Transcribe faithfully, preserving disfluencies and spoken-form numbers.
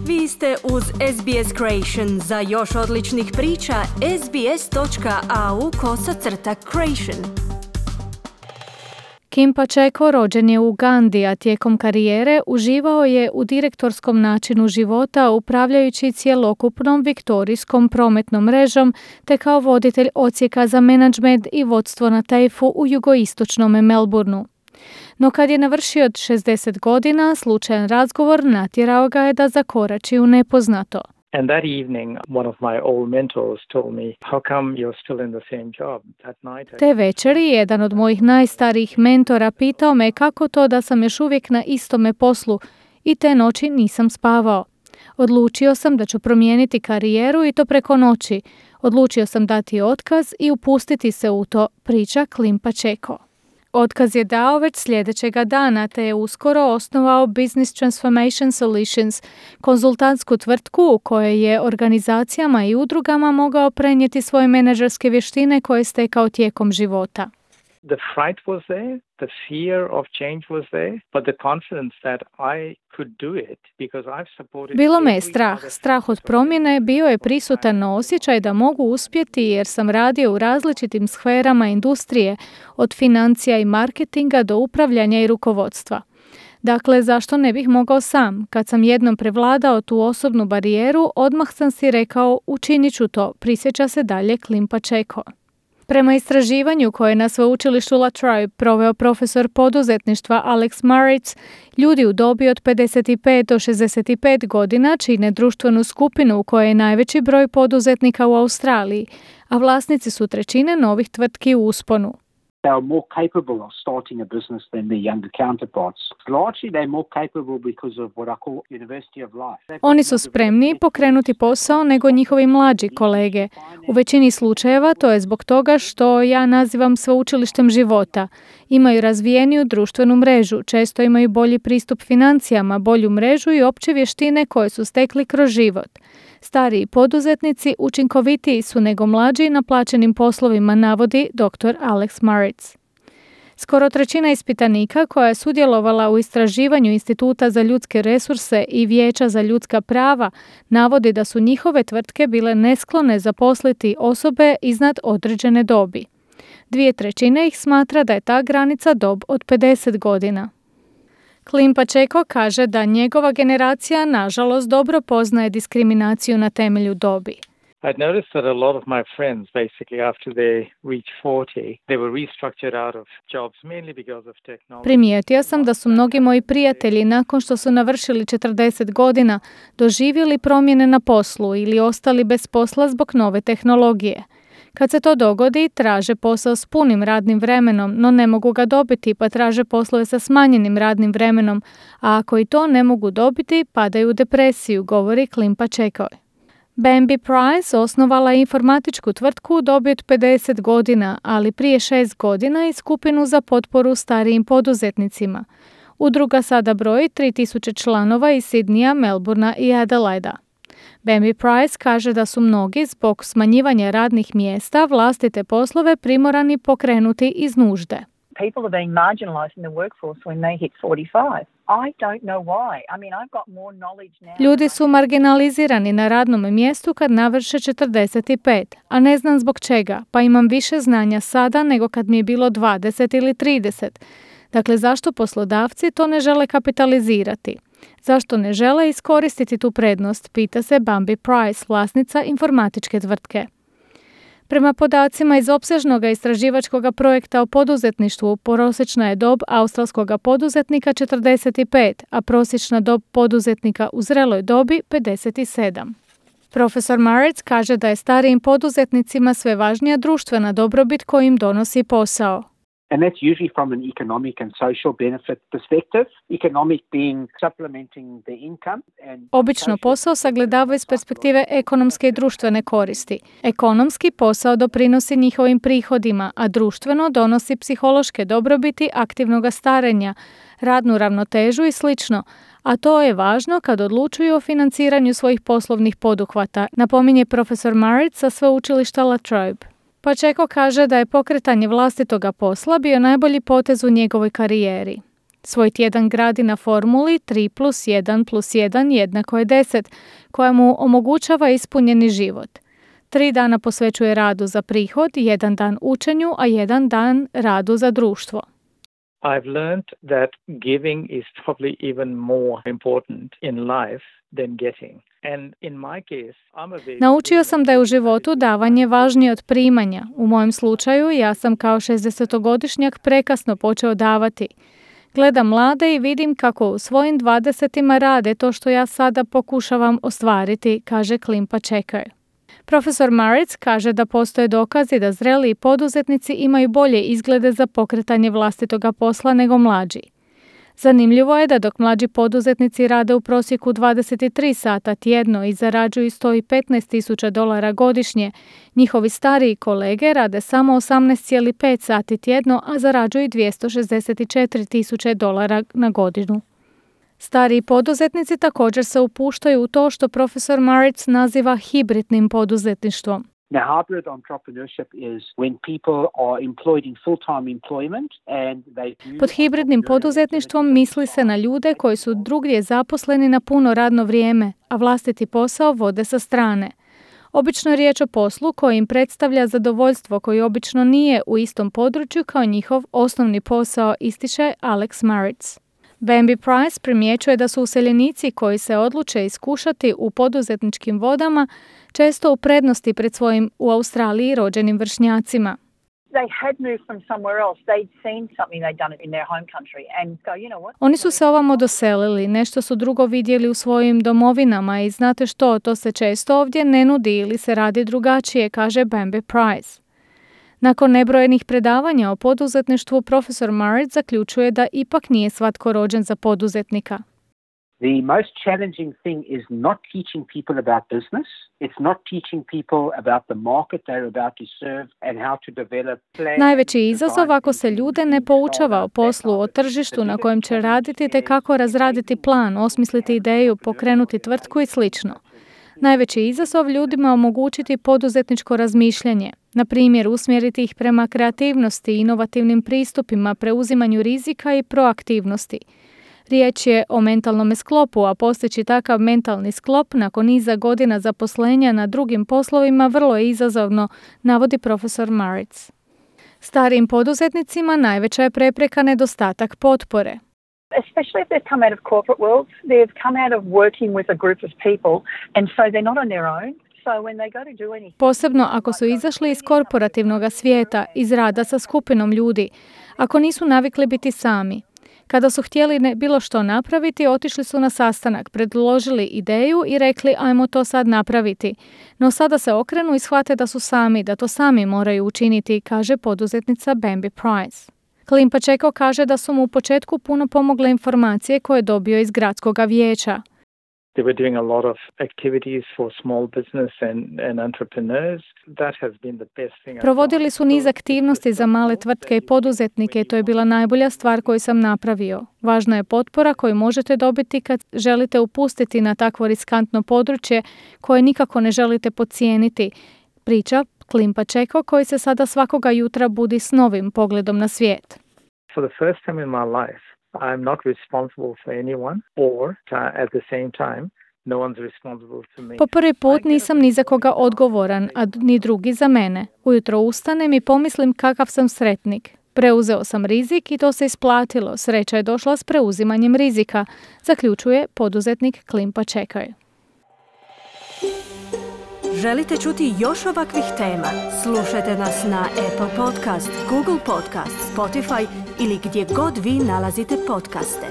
Vi ste uz S B S Creation. Za još odličnih priča, sbs.au kosacrta creation. Kim Pacheco rođen je u Ugandi, a tijekom karijere uživao je u direktorskom načinu života upravljajući cjelokupnom viktorijskom prometnom mrežom te kao voditelj odsjeka za menadžment i vodstvo na tejfu u jugoistočnom Melbourneu. No kad je navršio šezdeset godina, slučajan razgovor natjerao ga je da zakorači u nepoznato. And that evening, one of my old mentors told me, how come you're still in the same job? That night I... Te večeri jedan od mojih najstarijih mentora pitao me kako to da sam još uvijek na istome poslu i te noći nisam spavao. Odlučio sam da ću promijeniti karijeru i to preko noći. Odlučio sam dati otkaz i upustiti se u to, priča Kim Pacheco. Otkaz je dao već sljedećega dana, te je uskoro osnovao Business Transformation Solutions, konzultantsku tvrtku u kojoj je organizacijama i udrugama mogao prenijeti svoje menadžerske vještine koje je stekao tijekom života. The fright was there, the fear of change was there, but the confidence that I could do it because I've supported... Bilo me je strah. Strah od promjene bio je prisutan, no osjećaj da mogu uspjeti jer sam radio u različitim sferama industrije, od financija i marketinga do upravljanja i rukovodstva. Dakle, zašto ne bih mogao sam? Kad sam jednom prevladao tu osobnu barijeru, odmah sam si rekao učinit ću to, prisjeća se dalje Kim Pacheco. Prema istraživanju koje je na sveučilištu La Trobe proveo profesor poduzetništva Alex Maritz, ljudi u dobi od pedeset pet do šezdeset pet godina čine društvenu skupinu u kojoj je najveći broj poduzetnika u Australiji, a vlasnici su trećine novih tvrtki u usponu. They are more capable of starting a business than their younger counterparts. Largely they're more capable because of what I call University of Life. Oni su spremni pokrenuti posao nego njihovi mlađi kolege. U većini slučajeva to je zbog toga što ja nazivam sveučilištem života. Imaju razvijeniju društvenu mrežu, često imaju bolji pristup financijama, bolju mrežu i opće vještine koje su stekli kroz život. Stariji poduzetnici učinkovitiji su nego mlađi na plaćenim poslovima, navodi doktor Alex Maritz. Skoro trećina ispitanika koja je sudjelovala u istraživanju Instituta za ljudske resurse i Vijeća za ljudska prava navodi da su njihove tvrtke bile nesklone zaposliti osobe iznad određene dobi. Dvije trećine ih smatra da je ta granica dob od pedeset godina. Kim Pacheco kaže da njegova generacija nažalost dobro poznaje diskriminaciju na temelju dobi. I'd noticed that a lot of my friends, basically after they reached forty, they were restructured out of jobs mainly because of technology. Primijetio sam da su mnogi moji prijatelji nakon što su navršili četrdeset godina doživjeli promjene na poslu ili ostali bez posla zbog nove tehnologije. Kad se to dogodi, traže posao s punim radnim vremenom, no ne mogu ga dobiti pa traže poslove sa smanjenim radnim vremenom, a ako i to ne mogu dobiti, padaju u depresiju, govori Kim Pacheco. Bambi Price osnovala je informatičku tvrtku u dobi od pedeset godina, ali prije šest godina i skupinu za potporu starijim poduzetnicima. Udruga sada broji tri tisuće članova iz Sidneya, Melbournea i Adelaida. Bambi Price kaže da su mnogi zbog smanjivanja radnih mjesta vlastite poslove primorani pokrenuti iz nužde. People are being marginalized in the workforce when they hit forty-five. I don't know why. I mean, I've got more knowledge now. Ljudi su marginalizirani na radnom mjestu kad navrše četrdeset pet, a ne znam zbog čega, pa imam više znanja sada nego kad mi je bilo dvadeset ili trideset. Dakle, zašto poslodavci to ne žele kapitalizirati? Zašto ne žele iskoristiti tu prednost, pita se Bambi Price, vlasnica informatičke tvrtke. Prema podacima iz opsežnog istraživačkog projekta o poduzetništvu, prosječna je dob australskog poduzetnika četrdeset pet, a prosječna dob poduzetnika u zreloj dobi pedeset sedam. Profesor Maritz kaže da je starijim poduzetnicima sve važnija društvena dobrobit koju im donosi posao. And that's usually from an economic and social benefit perspective, economic being supplementing the income. And Obično posao sagledava iz perspektive ekonomske i društvene koristi. Ekonomski posao doprinosi njihovim prihodima, a društveno donosi psihološke dobrobiti aktivnog starenja, radnu ravnotežu i slično, a to je važno kad odlučuju o financiranju svojih poslovnih poduhvata, napominje profesor Maritz sa sveučilišta La Trobe. Pacheco kaže da je pokretanje vlastitoga posla bio najbolji potez u njegovoj karijeri. Svoj tjedan gradi na formuli tri plus jedan plus jedan jednako je deset, koja mu omogućava ispunjeni život. Tri dana posvećuje radu za prihod, jedan dan učenju, a jedan dan radu za društvo. I've learned that giving is probably even more important in life than getting. And in my case, I'm a very... Naučio sam da je u životu davanje važnije od primanja. U mojem slučaju ja sam kao šezdesetogodišnjak prekasno počeo davati. Gledam mlade i vidim kako u svojim dvadesetima rade to što ja sada pokušavam ostvariti, kaže Klim Pacheco. Profesor Maritz kaže da postoje dokazi da zreliji poduzetnici imaju bolje izglede za pokretanje vlastitoga posla nego mlađi. Zanimljivo je da dok mlađi poduzetnici rade u prosjeku dvadeset tri sata tjedno i zarađuju sto petnaest tisuća dolara godišnje, njihovi stariji kolege rade samo osamnaest zarez pet sati tjedno, a zarađuju dvjesto šezdeset četiri tisuće dolara na godinu. Stariji poduzetnici također se upuštaju u to što profesor Maritz naziva hibridnim poduzetništvom. Now, hybrid entrepreneurship is when people are employed in full-time employment and they do... Pod hibridnim poduzetništvom misli se na ljude koji su drugdje zaposleni na puno radno vrijeme, a vlastiti posao vode sa strane. Obično je riječ o poslu koji im predstavlja zadovoljstvo koji obično nije u istom području kao njihov osnovni posao, ističe Alex Maritz. Bambi Price primjećuje da su useljenici koji se odluče iskušati u poduzetničkim vodama često u prednosti pred svojim u Australiji rođenim vršnjacima. They had moved from somewhere else. They'd seen something they'd done in their home country and go, you know what? Oni su se ovamo doselili, nešto su drugo vidjeli u svojim domovinama i znate što, to se često ovdje ne nudi ili se radi drugačije, kaže Bambi Price. Nakon nebrojenih predavanja o poduzetništvu, profesor Maritz zaključuje da ipak nije svatko rođen za poduzetnika. The most challenging thing is not teaching people about business. It's not teaching people about the market they're about to serve and how to develop plans. Najveći izazov ako se ljude ne poučava o poslu, o tržištu na kojem će raditi te kako razraditi plan, osmisliti ideju, pokrenuti tvrtku i slično. Najveći izazov ljudima omogućiti poduzetničko razmišljanje, na primjer usmjeriti ih prema kreativnosti, inovativnim pristupima, preuzimanju rizika i proaktivnosti. Riječ je o mentalnom sklopu, a postići takav mentalni sklop nakon niza godina zaposlenja na drugim poslovima vrlo je izazovno, navodi profesor Maritz. Starijim poduzetnicima najveća je prepreka nedostatak potpore. Especially if they've come out of corporate world, they've come out of working with a group of people and so they're not on their own. So when they go to do anything... Posebno ako su izašli iz korporativnog svijeta, iz rada sa skupinom ljudi, ako nisu navikli biti sami. Kada su htjeli ne, bilo što napraviti, otišli su na sastanak, predložili ideju i rekli ajmo to sad napraviti. No sada se okrenu i shvate da su sami, da to sami moraju učiniti, kaže poduzetnica Bambi Price. Klim Pacheco kaže da su mu u početku puno pomogle informacije koje je dobio iz gradskog vijeća. They were doing a lot of activities for small business and, and entrepreneurs. That has been the best thing. Provodili su niz aktivnosti za male tvrtke i poduzetnike i to je bila najbolja stvar koju sam napravio. Važna je potpora koju možete dobiti kad želite upustiti na takvo riskantno područje koje nikako ne želite podcijeniti. Priča Klim Pacheco koji se sada svakoga jutra budi s novim pogledom na svijet. For the first time in my life, I'm not responsible for anyone or uh, at the same time no one's responsible for me. Po prvi put nisam ni za koga odgovoran, a ni drugi za mene. Ujutro ustanem i pomislim kakav sam sretnik. Preuzeo sam rizik i to se isplatilo. Sreća je došla s preuzimanjem rizika, zaključuje poduzetnik Klim Pacheco. Želite čuti još ovakvih tema? Slušajte nas na Apple Podcast, Google Podcast, Spotify ili gdje god vi nalazite podcaste.